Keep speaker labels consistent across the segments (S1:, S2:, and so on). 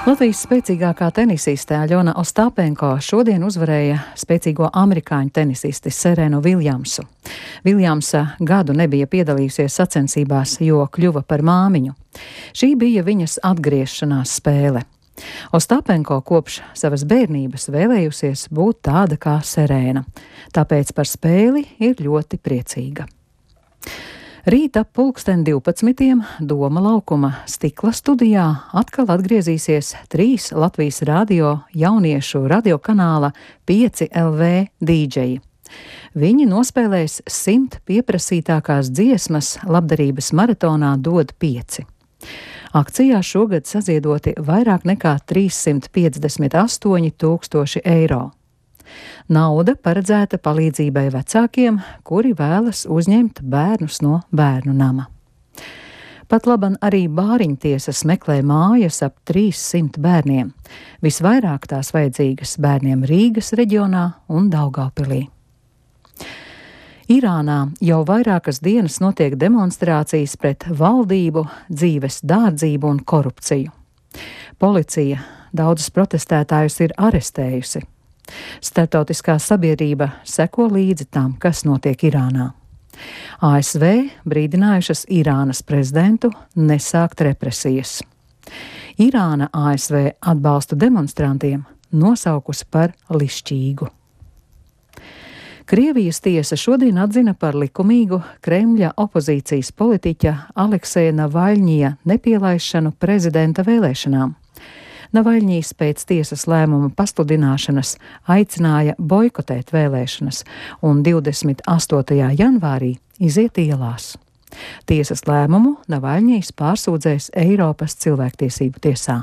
S1: Latvijas spēcīgākā tenisiste Aļona Ostāpenko šodien uzvarēja spēcīgo amerikāņu tenisisti Serenu Viljamsu. Viljamsa gadu nebija piedalījusies sacensībās, jo kļuva par māmiņu. Šī bija viņas atgriešanās spēle. Ostāpenko kopš savas bērnības vēlējusies būt tāda kā Serena, tāpēc par spēli ir ļoti priecīga. Rīt ap 12. Doma laukuma stikla studijā atkal atgriezīsies 3 Latvijas radio jauniešu radiokanāla 5 LV dīdžeji. Viņi nospēlēs 100 pieprasītākās dziesmas labdarības maratonā Dod 5. Akcijā šogad saziedoti vairāk nekā 358 000 eiro. Nauda paredzēta palīdzībai vecākiem, kuri vēlas uzņemt bērnus no bērnu nama. Patlaban arī bāriņtiesas meklē mājas ap 300 bērniem. Visvairāk tās vajadzīgas bērniem Rīgas reģionā un Daugavpilī. Irānā jau vairākas dienas notiek demonstrācijas pret valdību, dzīves dārdzību un korupciju. Policija daudzus protestētājus ir arestējusi. Startautiskā sabiedrība seko līdzi tam, kas notiek Irānā. ASV brīdinājušas Irānas prezidentu nesākt represijas. Irāna ASV atbalstu demonstrantiem nosaukusi par lišķīgu. Krievijas tiesa šodien atzina par likumīgu Kremļa opozīcijas politiķa Alekseja Navaļņija nepielaišanu prezidenta vēlēšanām. Navaļņijs pēc tiesas lēmuma pasludināšanas aicināja boikotēt vēlēšanas un 28. janvārī iziet ielās. Tiesas lēmumu Navaļņijs pārsūdzēs Eiropas cilvēktiesību tiesā.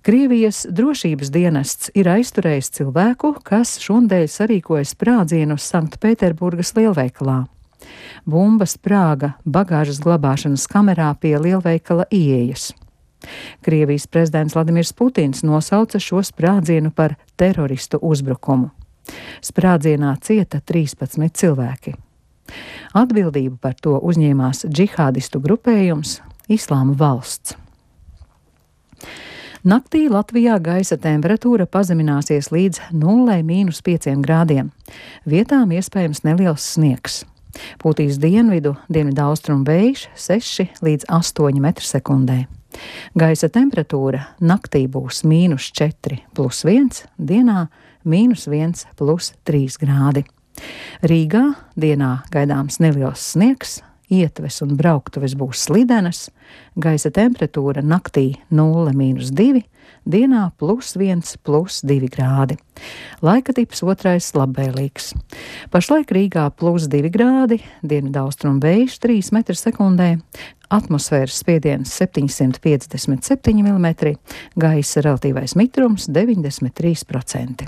S1: Krievijas drošības dienests ir aizturējis cilvēku, kas šonadēļ sarīkoja sprādzienu Sanktpēterburgas lielveikalā. Bumba sprāga bagāžas glabāšanas kamerā pie lielveikala ieejas. Krievijas prezidents Vladimirs Putins nosauca šo sprādzienu par teroristu uzbrukumu. Sprādzienā cieta 13 cilvēki. Atbildību par to uzņēmās džihādistu grupējums Islāma valsts. Naktī Latvijā gaisa temperatūra pazemināsies līdz 0–5 grādiem. Vietām iespējams neliels sniegs. Pūtīs dienvidaustrumu vējš 6–8 m/sekundē. Gaisa temperatūra naktī būs -4 + 1, dienā -1 + 3 grādi. Rīgā dienā gaidāms neliels sniegs, ietves un brauktuves būs slidenas, gaisa temperatūra naktī 0–2, dienā +1 + 2 grādi. Laika tips otrais labvēlīgs. Pašlaik Rīgā +2 grādi, dienvidaustrumu vējš 3 m/sekundē, atmosfēras spiediens 757 mm, gaisa relatīvais mitrums 93%.